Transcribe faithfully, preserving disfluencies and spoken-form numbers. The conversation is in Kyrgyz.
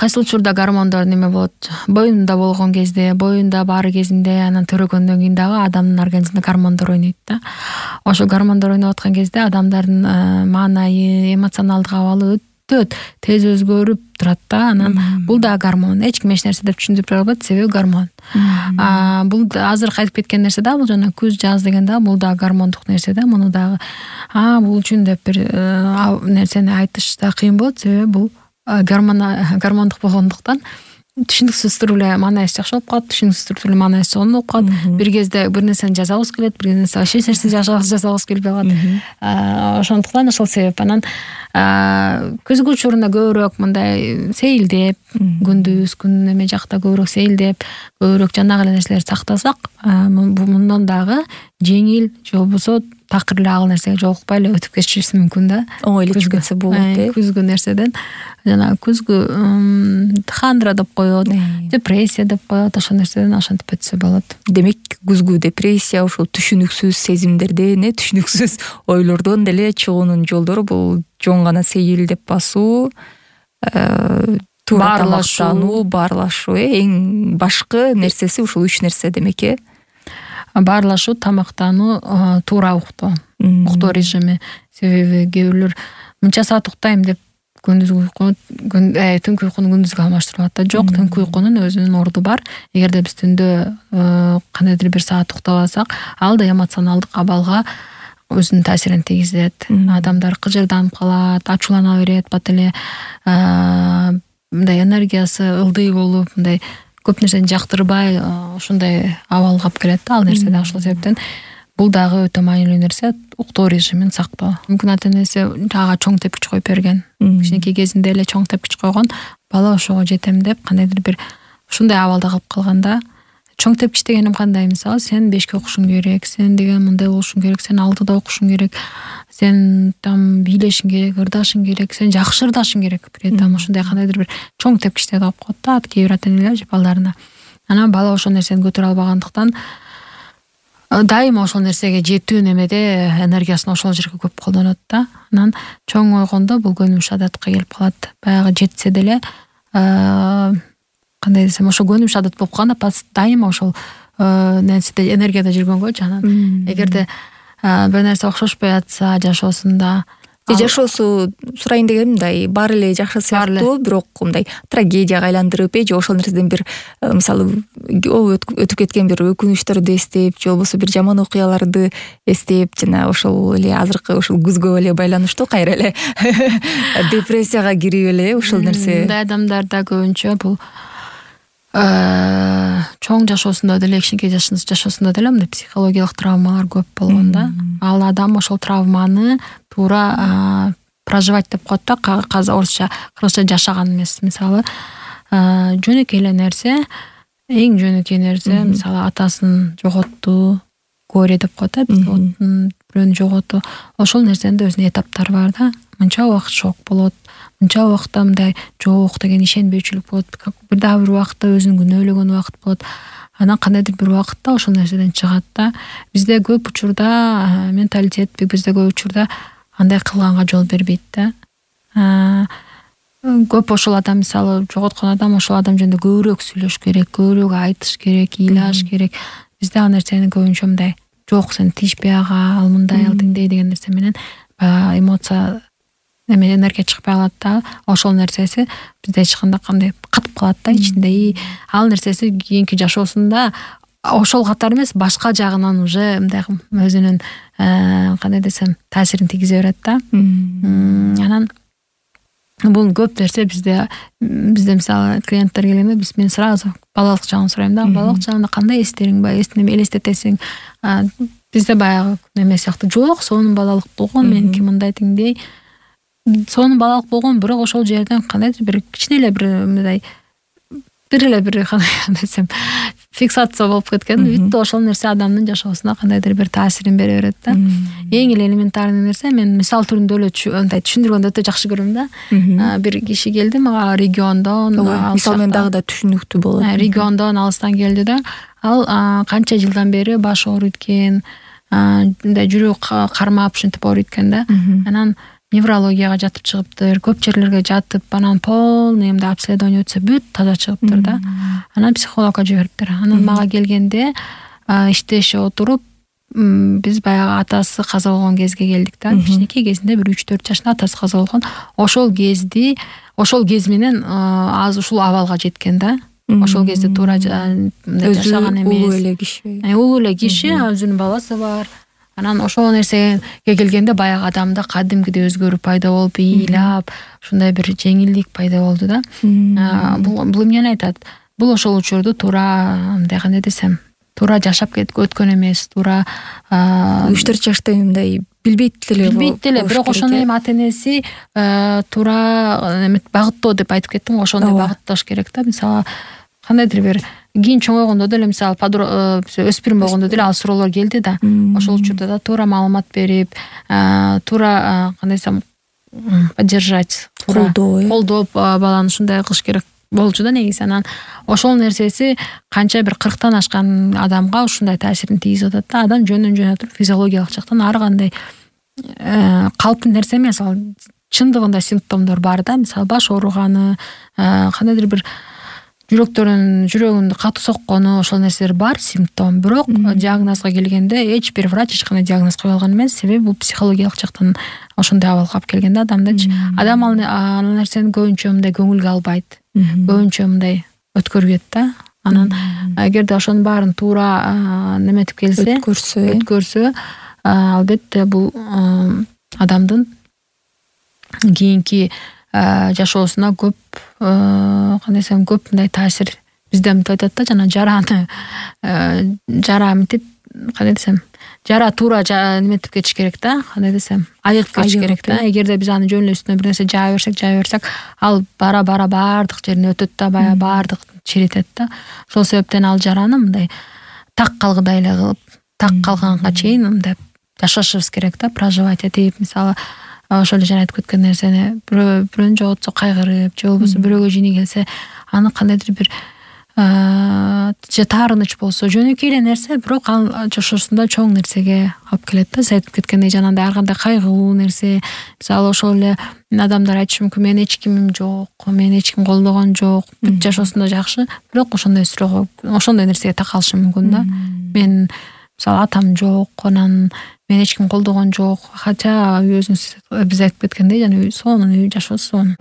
кайсы учурда гормондор неме болот, боюнда болгон кезде, боюнда баары кезинде, анан төрөгөндөн кийин дагы адамдын организминде гормондор ойнойт да. Ошол гормондор ойноп аткан кезде адамдардын маанайы, эмоционалдык абалы өтө тез өзгөрүп турат да. Анан бул да гормон. Эч ким эч нерсе деп түшүндүрүп бере албайт, себеби гормон. А бул азыр кайтып кеткен нерсе да, бул жана күз жаз деген да, бул да гормондук нерсе да. Муну дагы а бул үчүн деп бир нерсени айтыш да кыйын болот, себеби бул гормон гормондук болгондуктан түшүнүксүз түрү маанайсы жакшы болуп калат, түшүнүксүз түрү маанайсы сонун болуп калат. Бир кезде бир нерсени жазабыз келет, бир нерсе вообще эч нерсени жазабыз келбей калат. Ошондуктан ошол себеп. Анан күзгү учурунда көбүрөөк мындай сейилдеп, күндүз күн эме жакта көбүрөөк сейилдеп, көбүрөөк жанагы эле нерселерди сактасак, мындан дагы жеңил же болбосо такыр эле ал нерсеге жолукпай эле өтүп кетишибиз мүмкүн да. Оңой эле өтүп кетсе болот да. Күзгү нерседен жана күзгү хандра деп коет, депрессия деп коет, ошол нерседен ошентип өтсө болот. Демек, күзгү депрессия ошол түшүнүксүз сезимдерден, түшүнүксүз ойлордон деле чыгуунун жолдору бул жон гана сейилдеп басуу, туура тамактануу, баарлашуу. Эң башкы нерсеси ушул үч нерсе демек э. Баарлашуу, тамактануу, туура уктоо, уктоо режими. Себеби кээ бирлер мынча саат уктайм деп күндүзгү уйкуну, түнкү уйкуну күндүзгө алмаштырып атат да. Жок, түнкү уйкунун өзүнүн орду бар. Эгерде биз түндө кандайдыр бир саат уктап алсак, ал да эмоционалдык абалга өзүнүн таасирин тийгизет. Адамдар кыжырданып калат, ачуулана берет, бат эле мындай энергиясы ылдый болуп, мындай көп нерсени жактырбай, ошондой абалга алып келет да. Ал нерсе да ошол себептен бул дагы өтө маанилүү нерсе, уктоо режимин сактоо. Мүмкүн ата энеси ага чоң тепкич коюп берген. Кичинекей кезинде эле чоң тепкич койгон, бала ошого жетем деп кандайдыр бир ушундай абалда калып калганда, чоң тепкич дегеним кандай? Мисалы, сен бешке окушуң керек, сен деген мындай болушуң керек, сен алтыда окушуң керек, сен там бийлешиң керек, ырдашың керек, сен жакшы ырдашың керек. При этом ошондой кандайдыр бир чоң тепкичтерди калып коет да, кээ бир ата энелер же балдарына. Анан бала ошол нерсени көтөрө албагандыктан дайыма ошол нерсеге жетүү немеде энергиясын ошол жерге көп колдонот да. Анан чоң ойгондо бул көнүмүш адатка келип калат. Баягы жетсе деле кандай десем, ошо көнүмүш адат болуп калганда дайыма ошол нерседе энергияда жүргөнгө, анан эгерде бир нерсе окшошпой атса жашоосунда, жашоосу сурайын дегеним мындай, баары эле жакшы сыяктуу, бирок мындай трагедияга айландырып же ошол нерседен бир мисалы өтүп кеткен бир өкүнүчтөрдү эстеп, же болбосо бир жаман окуяларды эстеп, жана ошол эле азыркы ошол күзгө эле байланыштуу кайра эле депрессияга кирип эле ошол нерсе. Мындай адамдарда көбүнчө бул чоң жашоосунда деле, кичинекей жашоосунда деле мындай психологиялык травмалар көп болгон да. Ал адам ошол травманы туура проживать деп коет да, каза орусча, кыргызча жашаган эмес. Мисалы, жөнөкөй эле нерсе, эң жөнөкөй нерсе, мисалы, атасын жоготту, горе деп коет да, бирөөнү жоготуу. Ошол нерсенин да өзүнүн этаптары бар да. Мынча убакыт шок болот, мынча убакытта мындай жок деген ишенбөөчүлүк болот, бир дагы бир убакытта өзүн күнөөлөгөн убакыт болот. Анан кандайдыр бир убакытта ошол нерседен чыгат да. Бизде көп учурда менталитет, бизде көп учурда андай кылганга жол бербейт да. Көп ошол адам, мисалы, жоготкон адам ошол адам жөнүндө көбүрөөк сүйлөш керек, көбүрөөк айтыш керек, ыйлаш керек. Бизде ал нерсени көбүнчө мындай, жок, сен тийишпей ага, ал мындай, ал тиңдей деген нерсе менен эмоция эме энергия чыкпай калат да. Ошол нерсеси бизде эч кандай кандай катып калат да ичинде. Ал нерсеси кийинки жашоосунда ошол катар эмес, башка жагынан уже мындай өзүнүн кандай десем таасирин тийгизе берет да. Анан бул көп нерсе бизде бизде мисалы клиенттер келгенде биз мен сразу балалык жагын сурайм да. Балалык жагында кандай эстериң бар, эсине элестетесиң. Бизде баягы эме сыяктуу, жок, сонун балалык болгон, меники мындай тиңдей. Сонун балалык болгон, бирок ошол жерден кандайдыр бир кичине эле бир мындай бир эле бир кандай десем фиксация болуп кеткен. Бүттү ошол нерсе адамдын жашоосуна кандайдыр бир таасирин бере берет да. Эң эле элементарный нерсе, мен мисал түрүндө эле мындай түшүндүргөндү өтө жакшы көрөм да. Бир киши келди мага региондон, мисалы мен дагы да түшүнүктүү болот. Региондон, алыстан келди да. Ал канча жылдан бери баш ооруйт экен, мындай жүрөк кармап ушинтип ооруйт экен да. Анан неврологияга жатып чыгыптыр, көп жерлерге жатып, анан полный эмди обследование өтсө бүт таза чыгыптыр да. Анан психологко жибериптир. Анан мага келгенде иштешип отуруп, биз баягы атасы каза болгон кезге келдик да. Кичинекей кезинде бир үч төрт жашында атасы каза болгон. Ошол кезди, ошол кез менен азыр ушул абалга жеткен да. Ошол кезде туура жашаган эмес. Улуу эле киши. Улуу эле киши, өзүнүн баласы бар. Анан ошол нерсеге келгенде баягы адамда кадимкидей өзгөрүү пайда болуп, ыйлап, ушундай бир жеңилдик пайда болду да. Бул бул эмнени айтат? Бул ошол учурду туура мындай кандай десем, туура жашап өткөн эмес, туура үч төрт жашта мындай билбейт деле. Билбейт деле, бирок ошондой эми ата-энеси туура багыттоо деп айтып кеттим, ошондой багытташ керек да. Мисалы, кандайдыр бир кийин чоңойгондо деле, мисалы, өспүрүм болгондо деле ал суроолор келди да. Ошол учурда да туура маалымат берип, туура кандай десем, поддержать, колдоо, колдоп баланы ушундай кылыш керек болчу да негизи. Анан ошол нерсеси канча бир кырктан ашкан адамга ушундай таасирин тийгизип атат да. Адам жөндөн жөн туруп физиологиялык жактан ар кандай калыптуу нерсе эмес, ал чындыгында симптомдор бар да. Мисалы, баш ооруганы, кандайдыр бир жүрөктөрүн жүрөгүндө катуу соккону, ошол нерселер бар симптом. Бирок диагнозго келгенде эч бир врач эч кандай диагноз кое алган эмес, себеби бул психологиялык жактан ошондой абалга алып келген да адамдычы. Адам ал нерсени көбүнчө мындай көңүлгө албайт, көбүнчө мындай өткөрүп да. Анан эгерде ошонун баарын туура неметип келсе, өткөрсө, өткөрсө, албетте бул адамдын кийинки жашоосуна көп, кандай десем, көп мындай таасир бизде мынтип айтат да, жана жараны жара мынтип, кандай десем, жара туура неметип кетиш керек да, кандай десем, айыгып кетиш керек да. Эгерде биз аны жөн эле үстүнө бир нерсе жаа берсек, жаа берсек, ал бара-бара баардык жерине өтөт да, баягы баардык чиритет да. Ошол себептен ал жараны мындай так калгыдай эле кылып, так калганга чейин мындай жашашыбыз керек да, проживать этип, мисалы, ошол эле жана айтып кеткен нерсени бирөөнү жоготсо кайгырып, же болбосо бирөөгө жини келсе, аны кандайдыр бир же таарыныч болсо, жөнөкөй эле нерсе, бирок ал жашоосунда чоң нерсеге алып келет да. Сиз айтып кеткендей, жанагындай ар кандай кайгылуу нерсе, мисалы, ошол эле адамдар айтышы мүмкүн, менин эч кимим жок, мени эч ким колдогон жок, бүт жашоосунда жакшы, бирок ошондой суроого, ошондой нерсеге такалышы мүмкүн да. Мен мисалы атам жок, анан мени эч ким колдогон жок, хотя өзүңүз биз айтып кеткендей, жана сонун үй, жашоосу сонун.